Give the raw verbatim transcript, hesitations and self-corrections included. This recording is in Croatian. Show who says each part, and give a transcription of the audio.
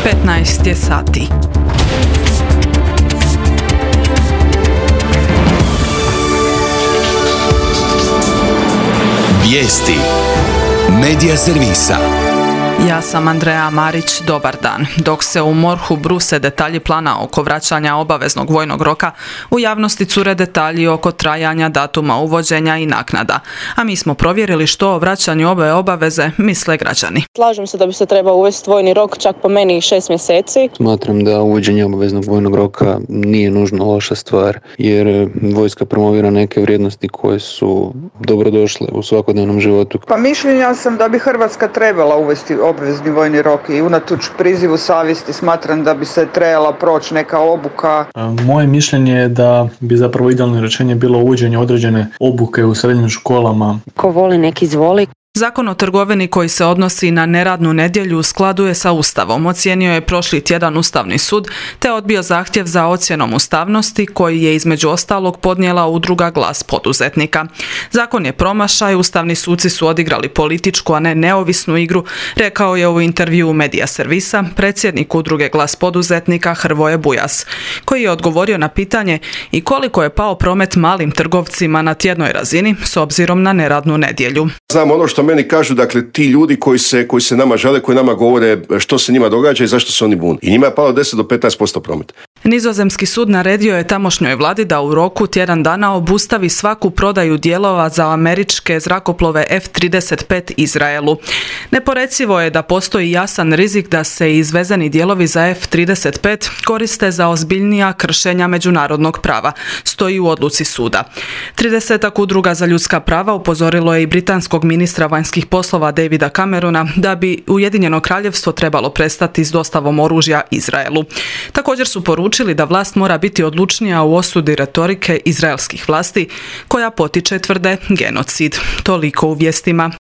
Speaker 1: petnaest je sati.
Speaker 2: Vijesti Medija servisa.
Speaker 1: Ja sam Andreja Marić, dobar dan. Dok se u MORH-u bruse detalji plana oko vraćanja obaveznog vojnog roka, u javnosti cure detalji oko trajanja, datuma uvođenja i naknada. A mi smo provjerili što o vraćanju ove obaveze misle građani.
Speaker 3: Slažem se da bi se trebao uvesti vojni rok, čak po meni šest mjeseci.
Speaker 4: Smatram da uvođenje obaveznog vojnog roka nije nužno loša stvar, jer vojska promovira neke vrijednosti koje su dobrodošle u svakodnevnom životu.
Speaker 5: Pa mišljenja sam da bi Hrvatska trebala uvesti obvezni vojni rok i unatoč prizivu savjesti smatram da bi se trebala proći neka obuka.
Speaker 6: Moje mišljenje je da bi zapravo idealno rješenje bilo uvođenje određene obuke u srednjim školama.
Speaker 7: Ko voli nek izvoli.
Speaker 1: Zakon o trgovini koji se odnosi na neradnu nedjelju u skladu je sa Ustavom, ocijenio je prošli tjedan Ustavni sud, te odbio zahtjev za ocjenom ustavnosti koji je između ostalog podnijela udruga Glas poduzetnika. Zakon je promašaj, ustavni suci su odigrali političku, a ne neovisnu igru, rekao je u intervjuu Medija servisa predsjednik udruge Glas poduzetnika Hrvoje Bujas, koji je odgovorio na pitanje i koliko je pao promet malim trgovcima na tjednoj razini s obzirom na neradnu nedjelju.
Speaker 8: Znam ono što meni kažu, dakle, ti ljudi koji se, koji se nama žale, koji nama govore što se njima događa i zašto se oni bune. I njima je palo deset do petnaest posto prometa.
Speaker 1: Nizozemski sud naredio je tamošnjoj vladi da u roku tjedan dana obustavi svaku prodaju dijelova za američke zrakoplove F trideset pet Izraelu. Neporecivo je da postoji jasan rizik da se izvezeni dijelovi za F trideset pet koriste za ozbiljnija kršenja međunarodnog prava, stoji u odluci suda. Tridesetak udruga za ljudska prava upozorilo je i britanskog ministra vanjskih poslova Davida Camerona da bi Ujedinjeno kraljevstvo trebalo prestati s dostavom oružja Izraelu. Također su poručili da vlast mora biti odlučnija u osudi retorike izraelskih vlasti koja potiče, tvrde, genocid. Toliko u vijestima.